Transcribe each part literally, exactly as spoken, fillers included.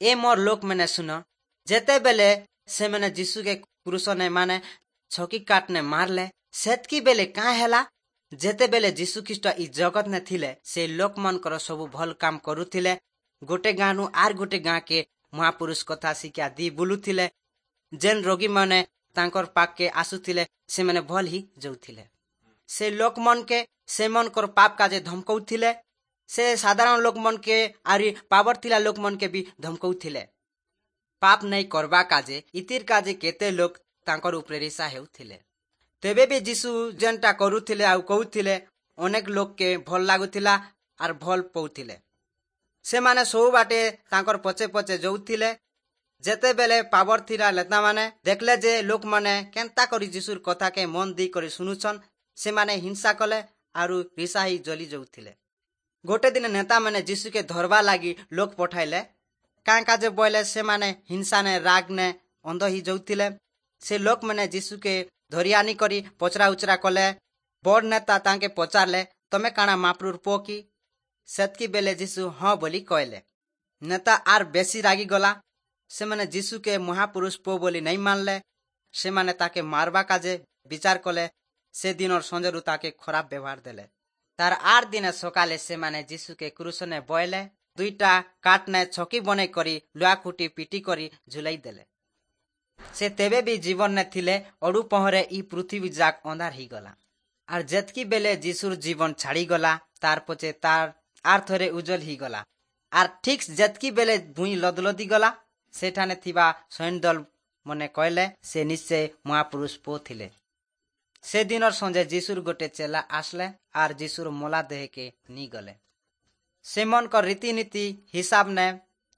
ଏ ମୋର ଲୋକମାନେ ଶୁନ, ଯେତେବେଲେ ସେମାନେ ଯୀଶୁକେ କ୍ରୁଶନେ ମାନେ ଛକି କାଟନେ ମାରଲେ, ସେତ୍କି ବେଲେ କାଁ ହେଲା? ଯେତେବେଲେ ଯୀଶୁ ଖ୍ରୀଷ୍ଟ ଇ ଜଗତ ନେ ଥିଲେ, ସେ ଲୋକମାନଙ୍କର ସବୁ ଭଲ କାମ କରୁଥିଲେ। ଗୋଟେ ଗାଁନୁ ଆର୍ ଗୋଟେ ଗାଁକେ ମହାପୁରୁଷ କଥା ଶିକ୍ଷା ଦି ବୁଲୁଥିଲେ। ଯେନ୍ ରୋଗୀମାନେ ତାଙ୍କର ପାଖକେ ଆସୁଥିଲେ, ସେମାନେ ଭଲ ହି ଯାଉଥିଲେ। ସେ ଲୋକମାନକେ ସେମାନଙ୍କର ପାପ କାଜେ ଧମକଉଥିଲେ। ସେ ସାଧାରଣ ଲୋକମାନକେ ଆରି ପାବର ଥିଲା ଲୋକମାନକେ ବି ଧମକଉଥିଲେ ପାପ ନାଇଁ କରବା କାଜେ। ଇତିର କାଜେ କେତେ ଲୋକ ତାଙ୍କର ଉପରେ ରିସା ହେଉଥିଲେ। ତେବେ ବି ଯୀଶୁ ଯେନ୍ଟା କରୁଥିଲେ ଆଉ କହୁଥିଲେ, ଅନେକ ଲୋକକେ ଭଲ ଲାଗୁଥିଲା ଆର୍ ଭଲ ପାଉଥିଲେ। ସେମାନେ ସବୁ ବାଟେ ତାଙ୍କର ପଛେ ପଛେ ଯାଉଥିଲେ। ଯେତେବେଲେ ପାବର ଥିଲା ନେତାମାନେ ଦେଖିଲେ ଯେ ଲୋକମାନେ କେନ୍ତା କରି ଯୀଶୁର କଥାକେ ମନ ଦେଇ କରି ଶୁଣୁଛନ୍, ସେମାନେ ହିଂସା କଲେ ଆରୁ ରିସା ହେଇ ଜଲି ଯାଉଥିଲେ। ଗୋଟେ ଦିନ ନେତାମାନେ ଯୀଶୁକେ ଧରବା ଲାଗି ଲୋକ ପଠାଇଲେ। କାଁ କାଜେ ବଇଲେ ସେମାନେ ହିଂସାନେ ରାଗନେ ଅନ୍ଧ ହେଇ ଯାଉଥିଲେ। ସେ ଲୋକମାନେ ଯୀଶୁକେ ଧରି ଆନି କରି ପଚରା ଉଚରା କଲେ। ବଡ ନେତା ତାଙ୍କେ ପଚାରଲେ, ତମେ କାଣା ମାପ୍ରୁର ପୁଅ କି? ସେତ୍କି ବେଲେ ଯୀଶୁ ହଁ ବୋଲି କହିଲେ। ନେତା ଆର୍ ବେଶୀ ରାଗିଗଲା। ସେମାନେ ଯୀଶୁକେ ମହାପୁରୁଷ ପୁଅ ବୋଲି ନାଇଁ ମାନଲେ। ସେମାନେ ତାକେ ମାରବା କାଜେ ବିଚାର କଲେ। ସେ ଦିନର ସଞ୍ଜରୁ ତାକେ ଖରାପ ବ୍ୟବହାର ଦେଲେ। ତାର ଆର ଦିନେ ସକାଲେ ସେମାନେ ଯୀଶୁକେ କ୍ରୁଶନେ ବଏଲେ। ଦୁଇଟା କାଠନେ ଛକି ବନେଇ କରି ଲୁହା ଖୁଟି ପିଟି କରି ଝୁଲାଇ ଦେଲେ। ସେ ତେବେ ବି ଜୀବନରେ ଥିଲେ। ଅଡୁ ପହରେ ଇ ପୃଥିବୀ ଯାକ ଅନ୍ଧାର ହେଇଗଲା। ଆର୍ ଯେତ୍କି ବେଲେ ଯୀଶୁର ଜୀବନ ଛାଡିଗଲା, ତାର ପଛେ ତାର ଆର୍ ଥରେ ଉଜ୍ଜଲ ହେଇଗଲା। ଆର୍ ଠିକ ଯେତ୍କି ବେଲେ ଭୁଇଁ ଲଦଲଦି ଗଲା, ସେଠାନେ ଥିବା ସୈନ୍ୟଦଳ ମନେ କହିଲେ, ସେ ନିଶ୍ଚୟ ମହାପୁରୁଷ ପୁଅ ଥିଲେ। ସେ ଦିନର ସଞ୍ଜେ ଯୀଶୁର ଗୋଟେ ଚେଲା ଆସିଲେ ଆର୍ ଯୀଶୁର ମଲା ଦେହକେ ନିଗଲେ। ସେମାନଙ୍କର ରୀତିନୀତି ହିସାବ ନେ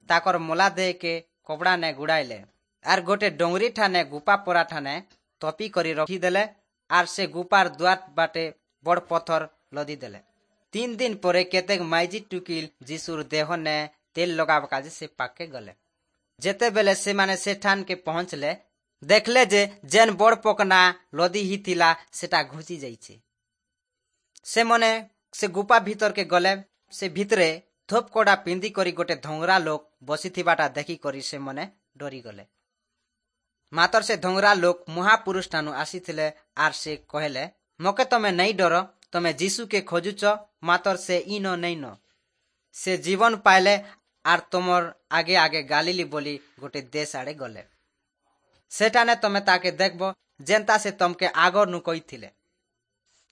ତାକର ମଲା ଦେହକେ କପଡ଼ା ନେ ଗୁଡ଼ାଇଲେ ଆର୍ ଗୋଟେ ଡୋଙ୍ଗରି ଠାନେ ଗୁପା ପରା ଠାନେ ତପି କରି ରଖିଦେଲେ, ଆର୍ ସେ ଗୁପାର ଦ୍ୱାର ବାଟେ ବଡ଼ ପଥର ଲଦି ଦେଲେ। ତିନ ଦିନ ପରେ କେତେକ ମାଇଜି ଟୁକିଲ ଯୀଶୁର ଦେହ ନେ ତେଲ ଲଗାବା କାଜେ ସେ ପାଖକେ ଗଲେ। ଯେତେବେଲେ ସେମାନେ ସେଠାନକେ ପହଞ୍ଚଲେ, ଦେଖିଲେ ଯେ ଯେନ୍ ବଡ଼ ପକନା ଲଦି ହେଇଥିଲା, ସେଟା ଘୁଚି ଯାଇଛି। ସେମାନେ ସେ ଗୁପା ଭିତରକେ ଗଲେ। ସେ ଭିତରେ ଧୂପ କଡ଼ା ପିନ୍ଧି କରି ଗୋଟେ ଧଙ୍ଗରା ଲୋକ ବସିଥିବାଟା ଦେଖିକରି ସେମାନେ ଡରିଗଲେ। ମାତର ସେ ଧଙ୍ଗରା ଲୋକ ମହାପୁରୁଷ ଠାନୁ ଆସିଥିଲେ। ଆର୍ ସେ କହିଲେ, ମକେ ତମେ ନାଇଁ ଡର। ତମେ ଯୀଶୁକେ ଖୋଜୁଛ, ମାତର ସେ ଇନ ନେଇନ। ସେ ଜୀବନ ପାଇଲେ ଆର୍ ତମର ଆଗେ ଆଗେ ଗାଲିଲି ବୋଲି ଗୋଟେ ଦେଶ ଆଡେ ଗଲେ। ସେଠାନେ ତମେ ତାକେ ଦେଖବ, ଯେନ୍ତା ସେ ତମକେ ଆଗରନୁ କହିଥିଲେ।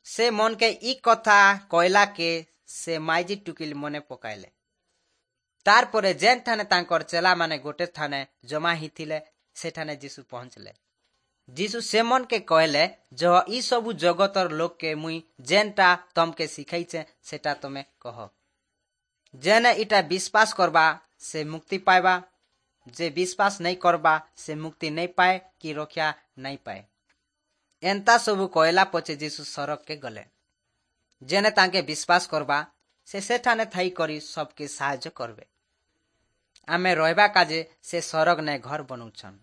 ସେ ମନକେ ଇ କଥା କହିଲା କେ ସେ ମାଇଜି ଟୁକିଲ ମନେ ପକାଇଲେ। ତାରପରେ ଯେନ୍ ଠାନେ ତାଙ୍କର ଚେଲାମାନେ ଗୋଟେ ଥାନେ ଜମା ହେଇଥିଲେ, ସେଠାନେ ଯୀଶୁ ପହଞ୍ଚିଲେ। ଯୀଶୁ ସେମନକେ କହିଲେ, ଯହ ଇ ସବୁ ଜଗତର ଲୋକକେ ମୁଇଁ ଯେନ୍ଟା ତମକେ ଶିଖାଇଛେ, ସେଟା ତମେ କହ। ଯେନେ ଇଟା ବିଶ୍ୱାସ କରବା, ସେ ମୁକ୍ତି ପାଇବା। ଯେ ବିଶ୍ୱାସ ନାଇଁ କରବା, ସେ ମୁକ୍ତି ନାଇଁ ପାଏ କି ରକ୍ଷା ନାଇଁ ପାଏ। ଏନ୍ତା ସବୁ କହିଲା ପଛେ ଯୀଶୁ ସରଗକେ ଗଲେ। ଯେନେ ତାଙ୍କେ ବିଶ୍ୱାସ କରବା, ସେ ସେଠାନେ ଥାଇ କରି ସବକେ ସାହାଯ୍ୟ କରବେ। ଆମେ ରହିବା କାଜେ ସେ ସରଗ ନେ ଘର ବନଉଛନ୍।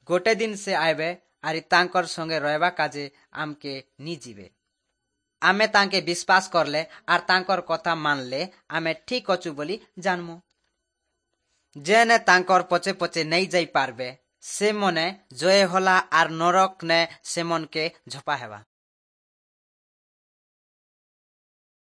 ଗୋଟେ ଦିନ ସେ ଆଇବେ ଆରି ତାଙ୍କର ସଙ୍ଗେ ରହିବା କାଜେ ଆମକେ ନି ଯିବେ। ଆମେ ତାଙ୍କେ ବିଶ୍ୱାସ କରଲେ ଆର୍ ତାଙ୍କର କଥା ମାନଲେ ଆମେ ଠିକ ଅଛୁ ବୋଲି ଜାନମୁ। ଯେନେ ତାଙ୍କର ପଛେ ପଛେ ନେଇ ଯାଇ ପାରବେ, ସେ ମନେ ଜୟ ହଲା ଆର୍ ନରକ ନେ ସେମନକେ ଝପା ହେବା।